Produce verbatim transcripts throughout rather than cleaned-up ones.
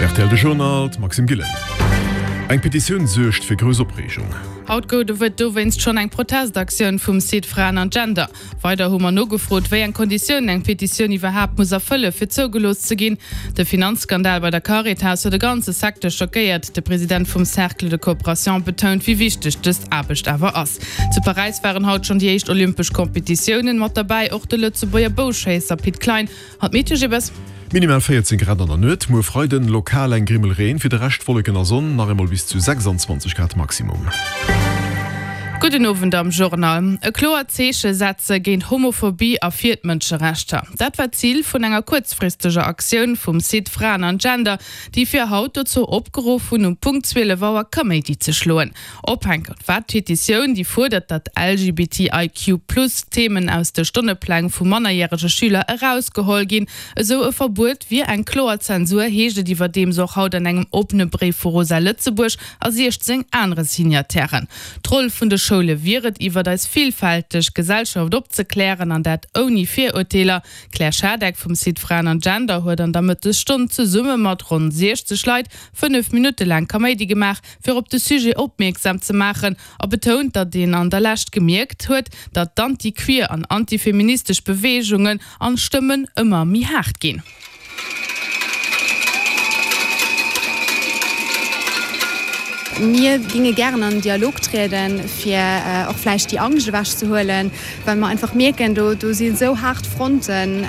Rtl De Journal, d'Maxime Gillen. Eng Petitioun suergt fir grouss Opreegung. Haut gouf et dowéinst schonn eng Protestaktioun vum Site Fraen an Gender. Weider hu mer nogefrot, wéi eng Konditiounen eng Petitioun iwwerhaapt muss erfëlle fir zougelooss ze ginn. De Finanzskandal bei der Caritas huet de ganze Secteur schockéiert. De President vum Cercle de Coopération betount, wéi wichteg dës Aarbecht awer ass. Zu Paräis waren haut schonn déi éischt olympesch Kompetitiounen. Mat derbäi och de Lëtzebuerger Bouschéisser Pit Klein. An d'Meteo Gibes. Minimal véierzéng Grad an der Nuet, muer Freiden lokal eng Grimmel Reen, fir de Rescht Wolleken a Sonn, nach eemol bis zu sechsanzwanzeg Grad Maximum. Gudden Owend am Journal. E kloert Zeeche setze géint Homophobie a fir d'Mënscherechter. Dat war d'Zil vun enger kuerzfristeger Aktioun vum Site Fraen an Gender, déi fir haut dozou opgeruff hunn, um Punkt zwielef Auer Kaméidi ze schloen. Ophänker war d'Petitioun, déi fuerdert, datt L G B T I Q plus Themen aus de Stonnepläng vu mannerjärege Schüler erausgeholl ginn. Esou e Verbuet wier eng kloer Zensur, heescht et iwwerdeems och haut an engem oppene Bréif vu Rosa Lëtzebuerg a siechzéng anere Signatairen. D'Roll vun de Schoule wier et, iwwert eis villfälteg Gesellschaft opzeklären, an dat ouni Virurteeler. D'Claire Schadeck vum Site Fraen an Gender huet an der Mëttesstonn zesumme mat ronn siechzeg Leit fënnef Minutte laang Kaméidi gemaach, fir op de Sujet opmierksam ze maachen, a betount, datt een an der Lescht gemierkt huet, datt d'anti-queer an antifeministesch Beweegungen an Stëmmen ëmmer méi haart ginn. Mir ginge gären an den Dialog trieden, fir och vläicht déi Angscht ewechzehuelen, well mer einfach mierken, do do si sou haart Fronten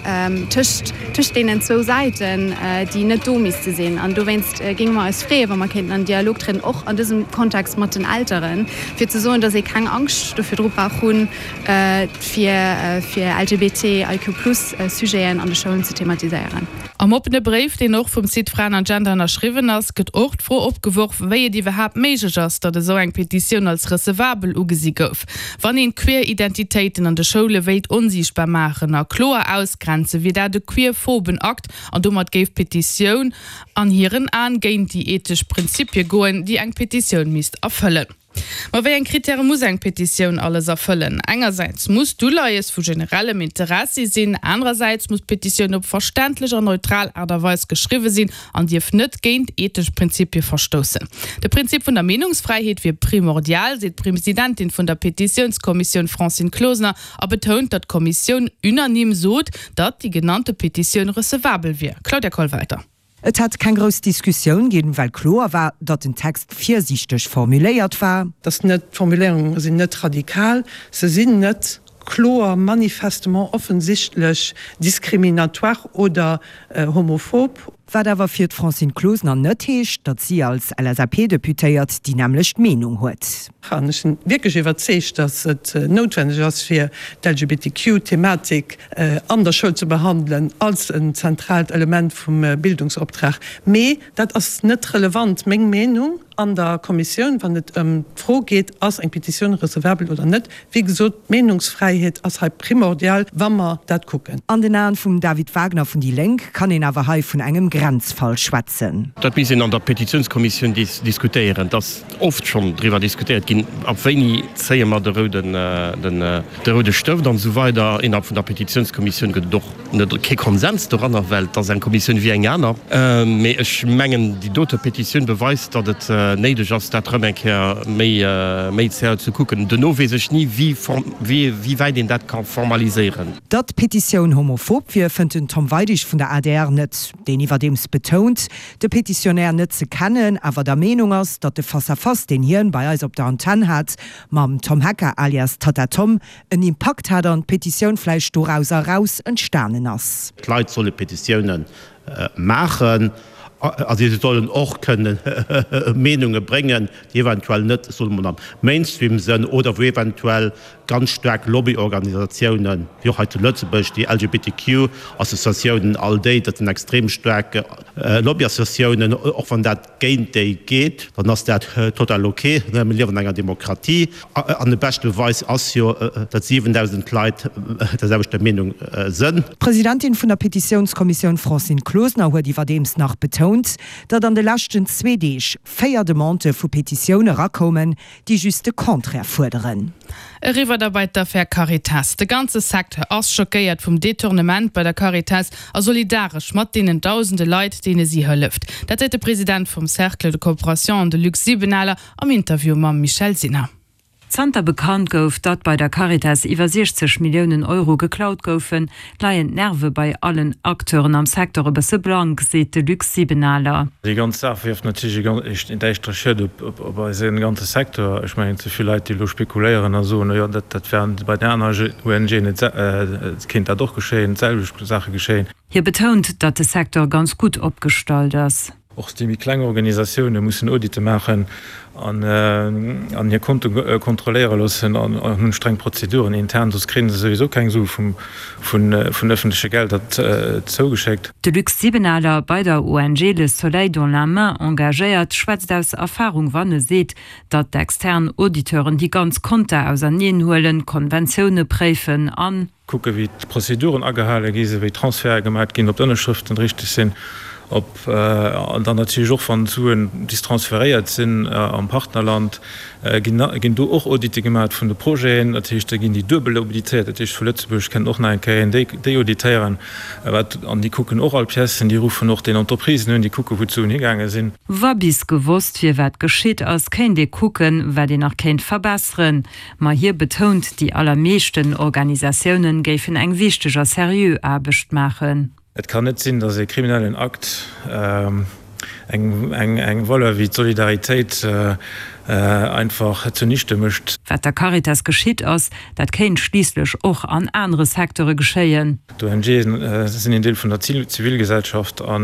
tëscht tëscht deenen zwou Säiten, déi net do misste sinn. An dowéinst géinge mer eis freeën, wa mer kéinten an den Dialog trieden, och an dësem Kontext mat den Elteren, fir ze soen, dass ee keng Angscht do virdru brauch hunn, fir fir L G B T I Q plus Sujeten an de Schoulen ze thematiséieren. Am oppene Bréif, deen och vum Site Fraen an Gender ënnerschriwwen ass, gëtt och d'Fro opgeworf, wéi et iwwerhaapt méiglech ass, datt esou eng Petitioun als recevabel ugesi gouf. Wann een queer Identitéiten an de Schoule wéilt onsiichtbar maachen a kloer ausgrenzen, wier dat e queerphoben Akt an domat géif d'Petitioun an hiren Aen géint déi ethesch Prinzipie goen, déi eng Petitioun misst erfëllen. Ma wéi eng Krittäre muss eng Petitioun alles erfëllen? Engersäits muss d'Uleies vu generellem Interessi sinn, anerersäits muss d'Petitioun op verständlech an neutral Aart a Weis geschriwwe sinn an dierf net géint ethesch Prinzipie verstoussen. De Prinzip vun der Meenungsfräiheet wier primordial, seet d'Presidentin vun der Petitiounskommissioun Francine Closener a betount, datt d'Kommissioun unanime sot, datt déi genannte Petitioun recevabel wier. Claudia Kollwelter. Et hätt keng grouss Diskussioun ginn, well kloer war, datt den Text virsiichteg formuléiert war. Dass net d'Formuléierunge sinn net radikal, se sinn net kloer manifestement offensichtlech diskriminatoire oder homophob. Wat awer fir d'Francine Closener net heescht, datt si als L S A P-Deputéiert déi nämmlecht Meenung huet. An ech sinn wierklech iwwerzeegt, datt et noutwenneg ass, fir d'L G B T Q-Thematik an der Schoul ze behandelen als en zentraalt Element vum Bildungsoptrag. Mee dat ass net relevant, meng Meenung an der Kommissioun, wann et ëm d'Fro geet, ass eng Petitioun recevabel oder net. Wéi gesot, d'Meenungsfräiheet ass hei primordial, wa mer dat kucken. An den Aen vum David Wagner vun déi Lénk kann een awer hei vun engem Grenzfall schwätzen. Dat misst een an der Petitiounskommissioun diskutéieren. Et ass oft schonn driwwer diskutéiert ginn, ab wéini zéie mer de rouden, de roude Stëft an esou weider. Innerhalb vun der Petitiounskommissioun gëtt et och net kee Konsens doranner, well et ass eng Kommissioun wéi eng aner. Mee ech mengen, déi dote Petitioun beweist, datt et néideg ass, dat erëm eng Kéier méi, méi zéier ze kucken. Duerno weess ech ni, wéi, wéi wäit een dat ka formaliséieren. Datt d'Petitioun homophob wier, fënnt den Tom Weidig vun der A D R net, deen iwwerdeems betount, de Petitionär net ze kennen, awer der Meenung ass, datt de Face-à-face, deen hien bei eis op der Antenn hat mam Tom Hecker alias Tatta Tom, en Impakt hat an d'Petitioun vläicht dorauser eraus entstanen ass. D'Leit solle Petitioune maachen a si sollen och kënne Meenunge bréngen, déi eventuell net, soe mer mol, am Mainstream sënn oder wou eventuell ganz staark Lobbyorganisatiounen, wéi och hei zu Lëtzebuerg déi L G B T Q Associatiounen, all déi, dat sinn extrem staark Lobbyassociatiounen, och wann dat géint déi geet, dann ass dat total ok. Mir liewen an enger Demokratie an de beschte Beweis ass jo, datt siwendausend Leit der selwechter Meenung sënn. D'Presidentin vun der Petitiounskommissioun Francine Closener huet iwwerdeems nach betount, betount, datt an de leschten zwee Deeg véier Demandë vu Petitioune erakoumen, déi just de Contraire fuerderen. Eriwwer da bei d'Affär Caritas. De ganze Secteur ass schockéiert vum Detournement bei der Caritas a solidaresch mat deenen dausende Leit, deene si hëlleft. Dat seet de President vum Cercle de Coopération, de Luc Sibenaler, am Interview mam Michèle Sinner. Zanter bekannt gouf, datt bei der Caritas iwwer siechzeg Milliounen Euro geklaut goufen, leien d'Nerve bei allen Acteuren am Secteur e bësse blank, seet de Luc Sibenaler. Déi ganz Saach wierft natierlech en däischtere Schiet op eise ganze Secteur. Ech mengen, ze vill Leit, déi elo spekuléieren a soen, jo, dat wär bei den anere ONGen, et kéint dat och geschéien, d'selwecht Saache geschéien. Hie betount, datt de Secteur ganz gutt opgestallt ass. Och déi méi kleng Organisatioune mussen Auditte maachen an hir Konte kontrolléiere loossen an hunn streng Prozeduren intern, soss kréien se souwisou keng Sue vun ëffentleche Gelder zougeschéckt. De Luc Sibenaler, bei der ONG Le Soleil dans la main engagéiert, schwätzt aus Erfarung, wann e seet, datt d'extern Auditeuren déi ganz Konter auserneen huelen, Konventioune préifen an. Kucke wéi d'Prozeduren agehale gi sinn, wéi Transferte gemaach ginn, ob d'Ënnerschrëften richteg sinn, ob an dann natierlech och wann d'Suen bis transferéiert sinn am Partnerland, ginn ginn do och Auditte gemaach vun de Projeten. Dat heescht, da ginn déi duebel auditéiert. Dat heescht, vu Lëtzebuerg kënnt och nach eng Kéier een déi déi auditéieren. Wat an déi kucken och all Piècen, déi ruffen och den Entreprisen un, déi kucke wou d'Suen higaange sinn. Wa bis gewosst wier, wat geschitt ass, kéint ee kucken, wat een nach kéint verbesseren. Ma hie betount, déi allermeeschten Organisatiounen géifen eng wichteg a seriö Aarbecht maachen. Et kann net sinn, datt e kriminellen Akt, eng Valeur wéi d'Solidaritéit einfach zunichte mécht. Wat der Caritas geschitt ass, dat kéint schliisslech och an anere Secteure geschéien. D'ONGe sinn een Deel vun der Zivilgesellschaft a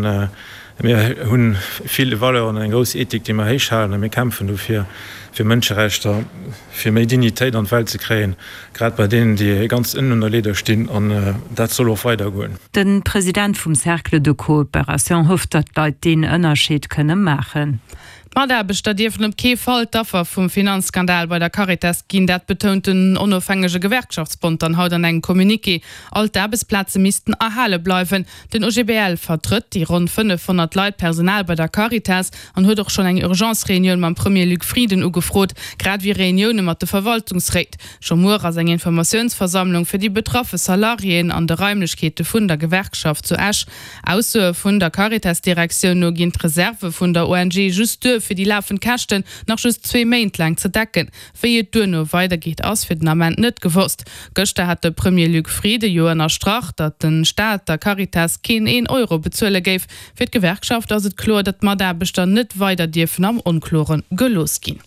mir hu vill Valeuren an eng grouss Ethik, déi mer héich halen a mir kämpfen dofir, fir Mënscherechter, fir méi Dignitéit an d'Welt ze kréien, grad bei deenen, déi ganz ënnen un der Leeder stinn. An dat soll och weidergoen. De President vum Cercle de coopération hofft, datt d'Leit deen Ënnerscheed kënne maachen. D'Mataarbechter dierfen op kee Fall d'Affer vum Finanzskandal bei der Caritas ginn. Dat betount den onofhängege Gewerkschaftsbond dann haut an engem Communiqué. All d'Aarbechtsplaze missten erhale bleiwen. Den O G B L vertrëtt déi ronn fënnefhonnert Leit Personal bei der Caritas an huet och schonn eng Urgence-Reunioun mam Premier Luc Frieden ugefrot, grad ewéi Reunioune mat de Verwaltungsréit. Scho muer ass eng Informatiounsversammlung fir déi betraffe Salariéen an de Raimlechkeete vun der Gewerkschaft zu Esch. Aussoe vun der Caritas-Direktioun no ginn d'Reserve vun der O N G just duer, fir déi lafend Käschten nach just zwee Méint laang ze decken. Wéi et duerno weidergeet, ass fir den Ament net gewosst. Gëschter hat de Premier Luc Frieden jo ënnerstrach, datt de Staat der Caritas keen een Euro bezuele géif. Fir d'Gewerkschaft ass et kloer, datt d'Mataarbechter net weider dierfen am Onkloren gelooss ginn.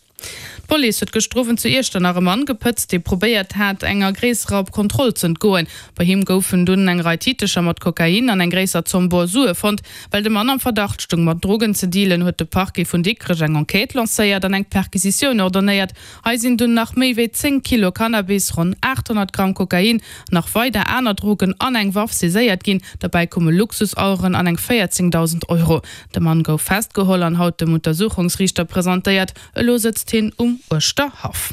D'Police huet gëschter Owend zu Iechternach e Mann gepëtzt, dee probéiert hat, enger gréisserer Kontroll z'entgoen. Bei him goufen dunn eng Rei Titecher mat Kokain an eng gréisser Zomm bor Sue fonnt. Well de Mann am Verdacht stoung, mat Drogen ze dealen, huet de Parquet vun Dikrech eng Enquête lancéiert an eng Perquisitioun ordonéiert. Hei sinn dunn nach méi wéi zéng Kilo Cannabis, ronn aathonnert Gramm Kokain, nach weider aner Drogen an eng Waff saiséiert ginn. Derbäi koume Luxusaueren an eng véierzéngdausend Euro. De Mann gouf festgeholl an haut dem Untersuchungsriichter presentéiert. Elo sëtzt hien um Uerschterhaff.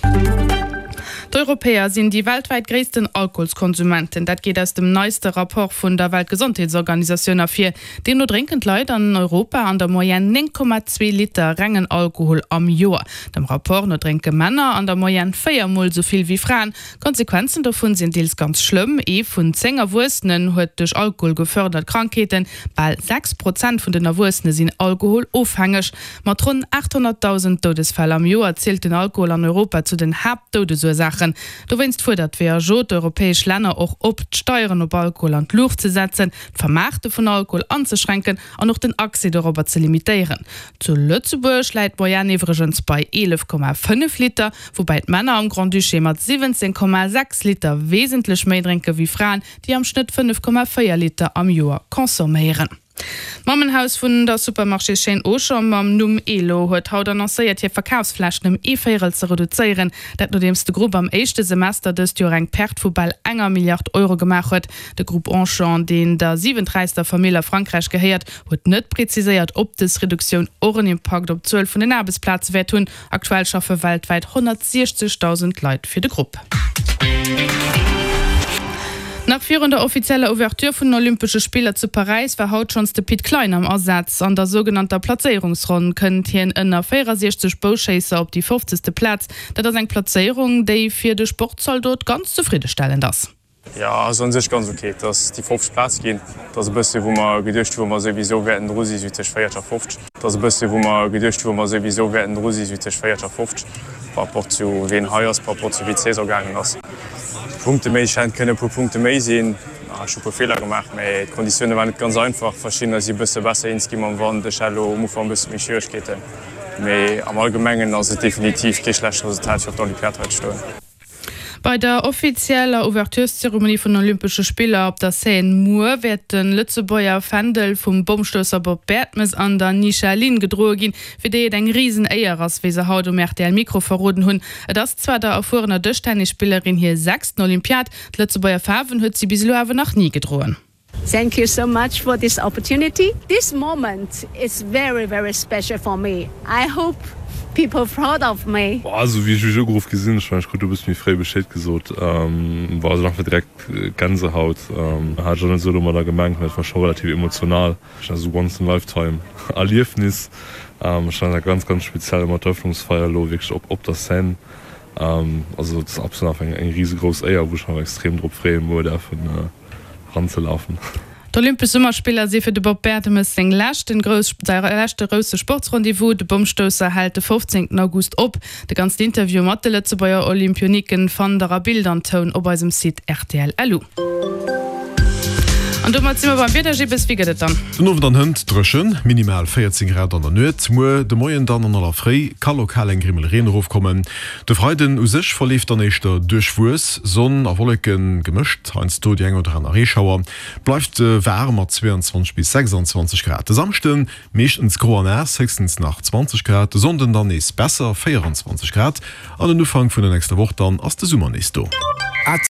D'Europäer sinn déi weltwäit gréissten Alkoholskonsumenten. Dat geet aus dem neiste Rapport vun der Weltgesondheetsorganisatioun ervir. Deemno drénken d'Leit an Europa an der Moyenne néng Komma zwee Liter rengen Alkohol am Joer. Dem Rapport no drénke Männer an der Moyenne véier Mol esou vill wéi Fraen. D'Konsequenzen dovun sinn deels ganz schlëmm, Ee vun zéng Erwuessenen huet duerch Alkohol gefërdert Krankheeten, bal sechs Prozent vun den Erwuessene sinn alkoholofhängeg. Mat ronn aathonnertdausend Doudesfäll am Joer zielt den Alkohol an Europa zu den Haaptdoudesursaachen. Dowéinst fuerdert d'W H O d'europäesch Länner och op, d'Steieren op Alkohol an d'Luucht ze setzen, d'Vermaarte vun Alkohol anzeschränken an och den Accès dorobber ze limitéieren. Zu Lëtzebuerg läit d'Moyenne iwwregens bei eelef Komma fënnef Liter, woubäi d'Männer am Grand-Duché mat siwwenzéng Komma sechs Liter wesentlech méi drénke wéi Fraen, déi am Schnëtt fënnef Komma véier Liter am Joer consomméieren. D'Mammenhaus vun der Supermarchéschaîne Auchan mam Numm Elo huet haut annoncéiert, hir Verkafsflächen ëm ee Véierel ze reduzéieren. Dat nodeems de Grupp am éischte Semester dëst Joer eng Perte vu bal enger Milliard Euro gemaach huet. De Grupp Auchan, deen der siwenträichster Famill a Frankräich gehéiert, huet net preziséiert, ob dës Reduktioun och en Impakt op d'Zuel vun den Aarbechtsplaze wäert hunn. Aktuell schaffe weltwäit honnertsiechzegdausend Leit fir de Grupp. Nach virun der offizieller Ouverture vun den Olympesche Spiller zu Paräis war haut schonns de Pit Klein am Asaz. An der sougenannter Plazéierungsronn kënnt hien ënner véierasiechzeg Bouschéisser op déi fofzegste Plaz. Dat ass eng Plazéierung, déi fir de Sportzaldot ganz zefriddestellend ass. Jo, ass un sech ganz ok. Et ass déi fofzeg Plaz ginn. Et ass e bësse wou mer geduecht hu wou mer souwisou wäerten dru si sou tëscht véierteg a fofzeg. Et ass e bësse wou mer geduecht hu wou mer souwisou wäerten dru si sou tëscht véierteg a fofzeg par rapport zu ween hei ass, par rapport zu wéi d'Saison gaangen ass. Punkte méi, ech hätt kënnen e puer Punkte méi sinn. Ech hu e puer Feeler gemaach, mä d'Konditioune waren net ganz einfach. Verschiddener si e bësse besser eens gi mam Wand. Ech hat elo um Ufank e bësse méi Schwieregkeeten, mä am Allgemengen ass et definitiv kee schlecht Resultat fir op der Olympiad hei ze stoen. Bei der offizieller Ouvertureszeremonie vun den Olympesche Spiller op der Seine muer wäert de Lëtzebuerger Fändel vum Bommstousser Bob Bertemes an der Nisha Lin gedroe ginn, fir déi et eng risen Éier ass, wéi se haut um rtl Mikro verroden hunn. Et ass zwar der erfuerener Dëschtennisspillerin hir sechsten Olympiad, d'Lëtzebuerger Faarwen huet si bis elo awer nach ni gedroen. Thank you so much for this opportunity. This moment is very very special for me. I hope people proud of me. Boah, esou wéi ech mech ugeruff gi sinn, ech mengen ech krut e bësse méi fréi Bescheed gesot, war also nach direkt Gänsehaut. Hat ech och net esou domadder gemengt, mä et war scho relativ emotional. Ech hat esou once in a lifetime Erliefnis. Ech fannen dat ganz ganz speziell mat der Eröffnungsfeier elo wierklech op op der Scène. Also et ass absolut einfach eng risegrouss Éier, wou ech mech extrem drop freeën muer däerfen eranzelafen. D'Olympesch Summerspiller si fir de Bob Bertemes seng leschten grouss säi leschte grousse Sportsrendez-vous. De Bommstousser hält de fofzéngten August op. De ganzen Interview mat de Lëtzebuerger Olympioniken fannt der a Bild an Toun op eisem Site rtl. Lu. An domat si mer beim Wieder. Gibbes, wéi gëtt et dann? Den Owend an hënt dréchen, minimal véierzéng Grad an der Nuet. Muer de Moien dann an aller Fréi ka lokal eng Grimmel Reen erofkommen. De Freiden u sech verleeft dann éischter duerchwuess, Sonn a Wolleke gemëscht, heiansdo déi eng oder aner Reeschauer. Bleift waarm mat zweeanzwanzeg bis sechsandzwanzeg Grad. De Samschde meeschtens gro an naass, héchstens nach zwanzeg Grad. De Sonnden dann nees besser, véieranzwanzeg Grad. An den Ufank vun der nächster Woch dann ass de Summer nees do.